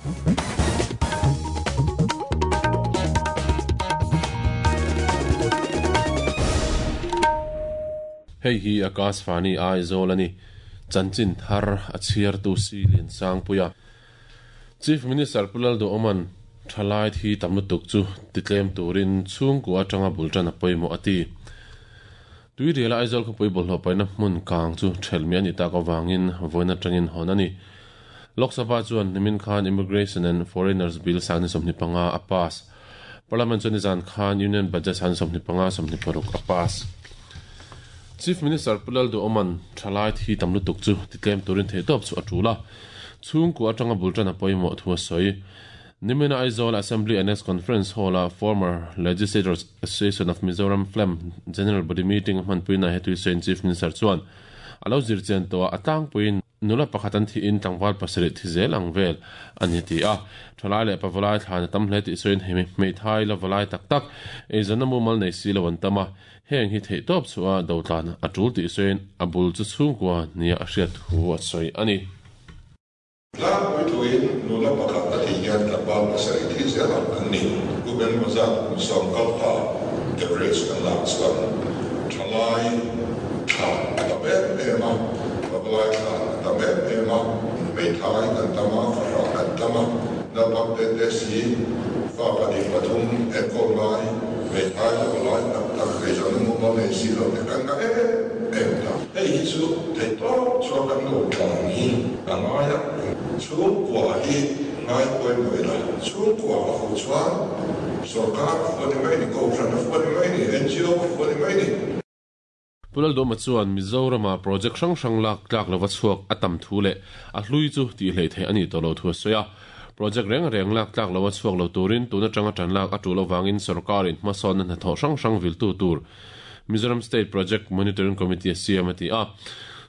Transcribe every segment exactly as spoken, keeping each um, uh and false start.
Hei hi Akashvani Aizawl ani chanchin thar a chhiar tu si lin sangpuia Chief Minister Pulal do Oman thalai thi tamlutuk chu titlem turin chhungku atanga bultan a pawimawh ati tui riala Aizawl khawpui bawlhhlawh paihna hmun kang chu thelmi ani tak awangin vawiin atangin hawn ani Lok Sabha chuan nimin khan Immigration and Foreigners Bill sangni sawmhnih panga a pass Parliament chuan nizan khan Union Budget sangni sawmhnih panga sawmhnih paruk a pass Chief Minister Pulal do Oman thalai thi tamlutuk chu titlem turin theitawp chu a tula chhungku atanga bultan a pawimawh thu a sawi Nimina Aizawl Assembly Annex Conference Hall a former Legislators Association of Mizoram F L E M General Body Meeting hmanpuina hetui sawiin Chief Minister chuan alo zirchian tawh a tlangpuiin nula pakhat an thi in tlangval pasarih thi zel ang vel ani ti a thalai leh pavalai thlan a tam hle tih sawiin hemi hmeithai la valai tak tak eizawn na mumal nei si lo an tam a heng hi theihtawp chu a dotlan a tul tih sawiin a bul chu chhungkua nia a hriat thu a sawi ani Tlangpui thuin nula pakhat a thi hian tlangval pasarih thi zel ang an ni kum engemaw zat kum sawm kal ta average kan lak chuan thalai thlan a tam em em a pavalai thlan a tam em em a hmeithai kan tam a fahrah kan tam a naupang te te si fa pahnih pathum enkawl ngai hmeithai la valai tak tak eizawn na mumal nei si lo te kan nga em em ta hei hi chu theihtawp chuan kan lo tlan hi a ngai a chhungkua hi ngai pawimawh ila chhungkua a fuh chuan sarkar a fuh ani mai ni kohhran a fuh ani mai ni N G O a fuh ani mai ni Pulal Dawma chuan Mizorama project hrang hrang lak tlak lova chhuak a tam thu leh a hlui chu tih hlei theih ani tawh lo thu a sawi a project reng reng lak tlak lova chhuak lo turin tuna tanga tan lak a tul awangin sarkarin hmasawn na hnathawh hrang hrang viltu tur Mizoram State Project Monitoring Committee a siam a ti a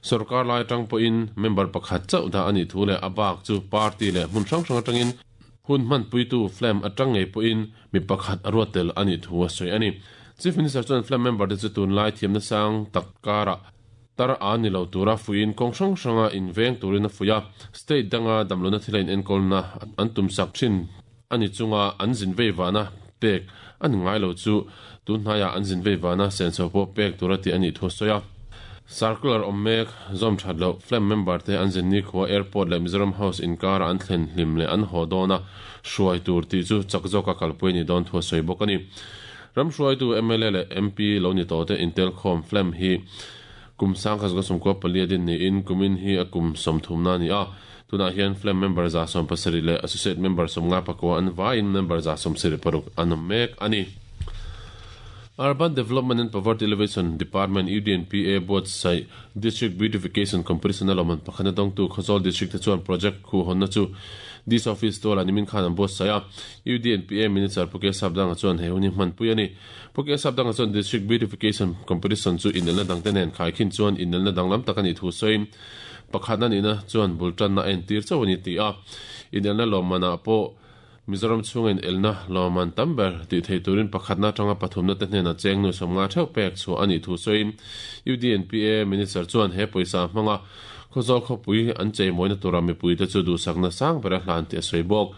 sarkar lai tang pawhin member pakhat chauh dah ani thu leh a bak chu party leh hmun hrang hrang atangin hun hman puitu F L E M atang ngei pawhin mi pakhat a ruat tel ani thu a sawi ani Chief Minister chuan F L E M member te chu tun lai thiamna sang tak kara tar a ni lo tura fuin kawng hrang hranga inveng turin a fuia state danga damlona thilain enkawlna an tum sak thin ani chunga an zin vei vana pek an ngai lo chu tun hnaiah an zin vei vana senso pawh pek tura ti ani thu a sawi a Circular ommek zom that lo F L E M member te an zin ni khuwa airport leh Mizoram House inkara an thlen hlim leh an haw dawna hruai tur tih chu chak zawka kalpui ni dawn thu a sawi bawk ani Ram hruai tu M L A leh M P lo ni tawh te Intel khawm F L E M hi kum sang khat sawm kua palia din niin kumin hi a kum sawmthum na ani a tunah hian F L E M member za sawm pasarih leh associate member sawmnga pakua an vaiin member za sawm sarih paruk an awm mek ani Urban Development and Poverty Alleviation Department U D N P A buatsaih District Beautification Competition a lawman pakhana dawngtu Khawzawl District te chuan project khu hawnna chu Dis Office tuala nimin khan an buatsaih a U D N P A Minister Puke Sapdanga chuan he huni hmanpui ani Puke Sapdanga chuan District Beautification Competition chu inelna dang te nen khaikhin chuan inelna danglam tak ani thu sawiin pakhat ani na chuan bultan na en tir chau ani ti a inelna lawmana pawh Mizoram chungin elna lawman tamber ti thei turin pakhatna tanga pathumna te hnena chengnu somnga theuh pek chu ani thu sawiin U D N P A Minister chuan he pawisa hmanga Khawzawl khawpui an cheimawina tura mipui te chu duhsakna sang bera hlan ti a sawi bawk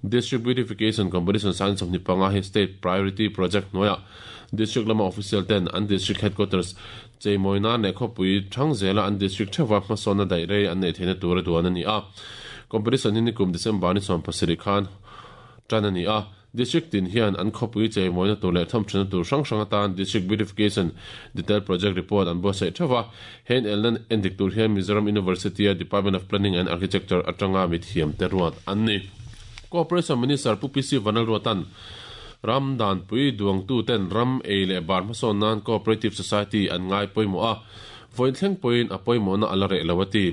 District Beautification Competition sang sawmhnih panga hi State Priority Project hnuaiah District lama official ten an District Headquarters cheimawina leh khawpui thang zela an District theuha hmasawnna daih rei an nei theihna tura duan ani a Competition hi nikum December ni sawm pasarih khan tan ani a District tin hian an khawpui cheimawina tur leh thawmthana tur hrang hrang atan District Beautification Detail Project Report an buatsaih theuha hen elnan endik tur hian Mizoram University a Department of Planning and Architecture atanga mithiam te ruat an ni Cooperation Minister Pu P C Vanal Ruatan Ram Dan Pui Duang Tu ten Ram Ei leh Bar hmasawn nan Cooperative Society an ngai pawimawh a vawiin thleng pawhin a pawimawh na ala reh lo ati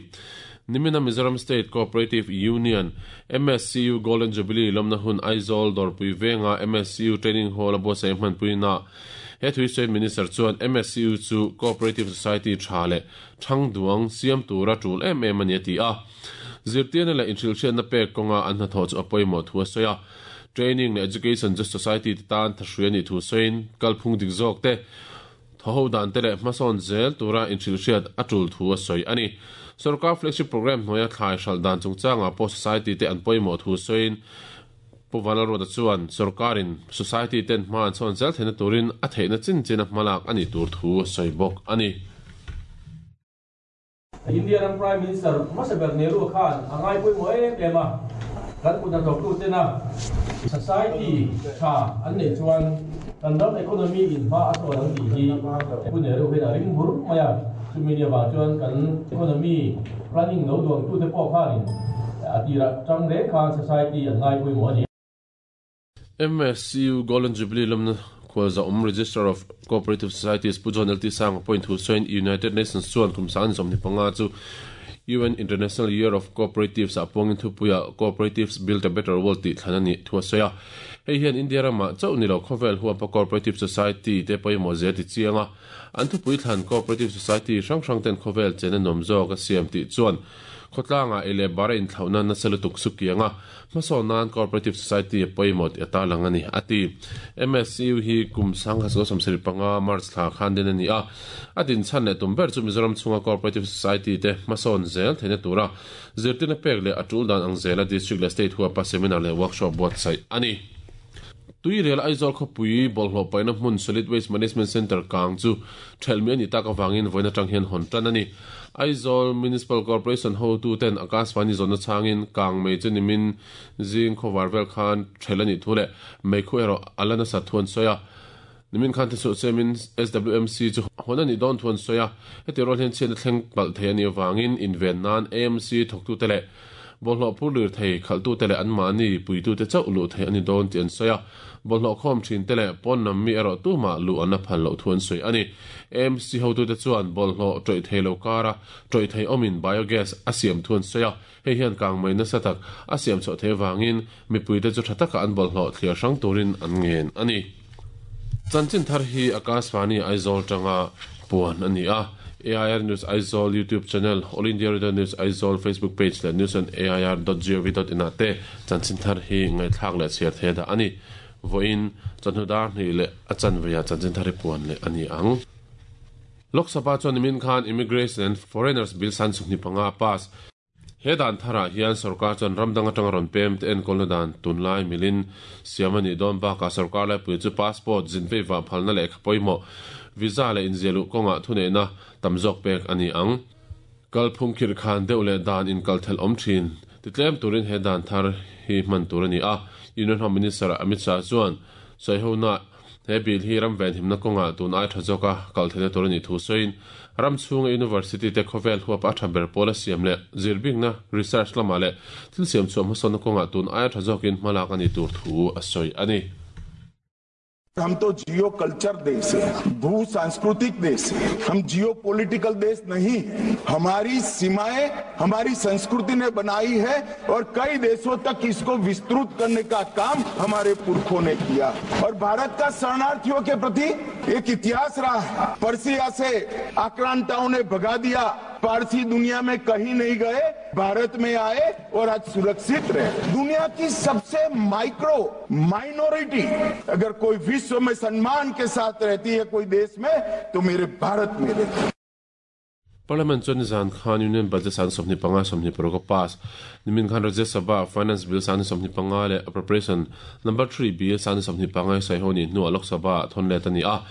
Nimina Mizoram State Cooperative Union M S C U Golden Jubilee lawmna hun Aizawl Dawrpui venga M S C U Training Hall a buatsaih hmanpuina he thui sawi Minister chuan M S C U chu Cooperative Society tha leh thang duang siam tura tul em em ani ati a zirtiana leh inhrilhriatna pek kawnga an hnathawh chu a pawimawh thu a sawi a Training leh Education Just Society te tan thahrui ani thu sawiin kalphung dik zawk te thaw ho dan te leh hmasawn zel tura inhrilhriat a tul thu a sawi ani Sarkar flagship program hnuaia thlai hral dan chungchanga pawh society te an pawimawh thu sawiin Pu Vanlalruata chuan sarkarin society ten hma an sawn zel theihna turin a theihna chin chin a hmalak a nih tur thu a sawi bawk a ni. India ram Prime Minister hmasa Nehru khan a ngai pawimawh em em a, kan kut hnathawktu tena society tha an nei chuan kan ram economy in hma a sawn ang tih hi Pu Nehru hian a ring bur mai a, chumi ni avang chuan kan economy planning lo duangtu te pawh khanin a tirah tang reng khan society an ngai pawimawh a ni. M S C U Golden Jubilee lamna khawlza um Registrar of Cooperative Societies Pu John L T Sang point thu sawiin United Nations chuan kum sang sawmhnih panga chu U N International Year of Cooperatives a puangin thupuia Cooperatives Build a Better World tih thlan a ni thu a sawi a. Hei hian India rama chauh ni lo khawvel huapa Cooperative Society te pawimawh zel ti chiang a, an thupui thlan Cooperative Society hrang hrang ten khawvel chen a nawm zawk a siam tih chuan khawtlanga ei leh bara inthlauhna nasa lutuk su kiang a, hmasawn nan Cooperative Society a pawimawh tih a tarlang a ni a ti. M S C U hi kum sang kha sawmsarih panga March thla khan den a ni a, a din chhan leh tum ber chu Mizoram chhunga Cooperative Society te hmasawn zel theihna tura zirtirna pek leh a tul dan ang zela district leh state huapa seminar leh workshop buatsaih a ni. Tuirial Aizawl khawpui bawlhhlawh paihna hmun Solid Waste Management Centre kang chu thelmi a ni tak avangin vawiin atang hian hawn tan a ni. Aizawl Municipal Corporation hotu ten Akashvani zawhna changin kang mei chu nimin zing khawvar vel khan thel a nih thu leh mei khu erawh a la nasa thu an sawi a. Nimin khan te chu chemin S W M C chu hawn a nih dawn thu an sawi a, heti rual hian chhiatna thleng palh thei a nih avangin inven nan A M C thawktu te leh bawlhhlawh phur lir thei khalhtu te leh an mahni puitu te chauh luh thei a ni dawn tih an sawi a, bawlhhlawh khawm thin te leh pawn lam mi erawh tumah luh an la phal loh thu an sawi a ni. A M C hotu te chuan bawlhhlawh tawih thei lo kara tawih thei awmin biogas a siam thu an sawi a, hei hian kang mai nasa tak a siam chhuah thei avangin mipui te chu tha taka an bawlhhlawh thliar hrang turin an ngen a ni. Chanchin thar hi Akashvani Aizawl tanga puan a ni a. A I R News Aizawl YouTube channel, All India Radio News Aizawl Facebook page leh news on A I R dot gov dot in ah te chanchin thar hi ngaihthlak leh chhiar thei dah a ni. Vawiin chawhnu dar hnih leh a chanveia chanchin thar hi puan leh a ni ang. Lok Sabha chuan nimin khan Immigration and Foreigners Bill san sawmhnih panga a pass. He dan tharah hian sarkar chuan ramdang atanga rawn pem te enkawlna dan tunlai milin siam a nih dawn bakah sarkar laipui chu passport zinvei vah phalna leh kha pawimawh visa leh inziahluh kawngah thuneihna tam zawk pek a ni ang. Kalphung khir khan deuh leh dan inkal thel awm thin titlem turin he dan thar hi hman tur a ni a. Union Home Minister Amit Shah chuan sawi he bill hi ram ven himna kawngah tun ai tha zawka kal theihna tur a nih thu sawiin ram chhunga university te khawvel huap a tha ber pawl a siam leh zirbingna research lamah leh thil siam chhuah hmasawnna kawngah tun ai tha zawkin hmalak a ni tur thu a sawi a ni. हम तो जियो कल्चर देश है, भू सांस्कृतिक देश है, हम जियो पॉलिटिकल देश नहीं। हमारी सीमाएं हमारी संस्कृति ने बनाई है और कई देशों तक इसको विस्तृत करने का काम हमारे पुरखों ने किया। और भारत का शरणार्थियों के प्रति एक इतिहास रहा है। पर्सिया से आक्रांताओं ने भगा दिया, पारसी दुनिया में कहीं नहीं गए, भारत में आए और आज सुरक्षित रहे। दुनिया की सबसे माइक्रो माइनॉरिटी अगर कोई विश्व में सम्मान के साथ रहती है कोई देश में तो मेरे भारत में रहती है। Parliament chuan zan khan Union Budget san sawmhnih panga sawmhnih paruk a pass. Nimin khan Rajya Sabha Finance Bill san sawmhnih panga leh Appropriation Number three Bill san sawmhnih panga sai ho ni hnuah Lok Sabha thawn let a ni a.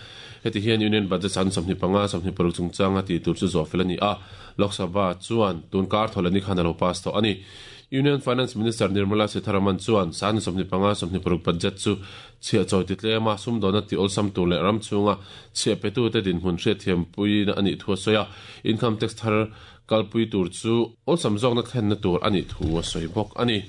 Heti hian Union Budget san sawmhnih panga sawmhnih paruk chungchanga tih tur chu zawh fel a ni a. Lok Sabha chuan tun kar thawl ani khan a lo pass tawh a ni. Union Finance Minister Nirmala Sitharaman chuan san sawmhnih panga sawmhnih paruk budget chu chhiah chawi ti tlema sumdawna ti awlsam tur leh ram chhunga chhiah petu te dinhmun hriatthiam puina a nih thu a sawi a. Income tax thar kalpui tur chu awlsam zawkna thlenna tur a nih thu a sawi bawk a ni.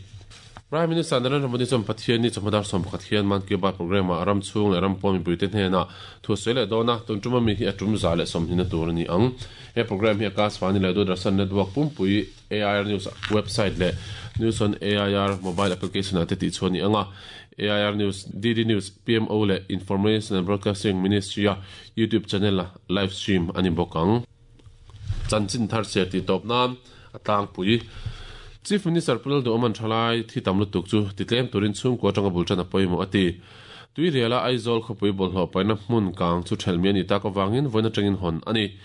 Prime Minister Narendra Modi chuan Pathian ni chawhma dar sawm pakhat hian Man Ki Baat program ah ram chhung leh ram pawh mipui te hnenah thu a sawi leh dawn a, tun tuma mi hi a tum za leh sawmhnihna tur a ni ang. He program hi Akashvani leh Doordarshan Network pumpui A I R News website leh News on A I R mobile application ah te tih chuan ni ang a. A I R News, D D News, P M O leh Information and Broadcasting Ministry a YouTube channel a live stream a ni bawk ang. Chanchin thar cher tih tawp nan a tlangpui. Chief Minister Pu Lalduhoma thalai thi tam lutuk chu titlem turin chhungkua atanga bul tan a pawimawh a ti. Tuiriala Aizawl khawpui bawlhhlawh paihna hmun kang chu thelmi a ni tak avangin vawiin atangin hawn a ni.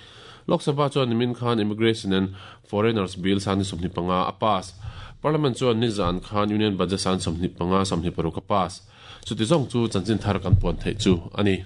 Lok Sabha chuan nimin khan Immigration and Foreigners Bill sang sawmhnih panga a pass. Parliament chuan nizan khan Union Budget sang sawmhnih panga sawmhnih paruk a pass. Chuti zawng chu chanchin thar kan puan theih chu a ni.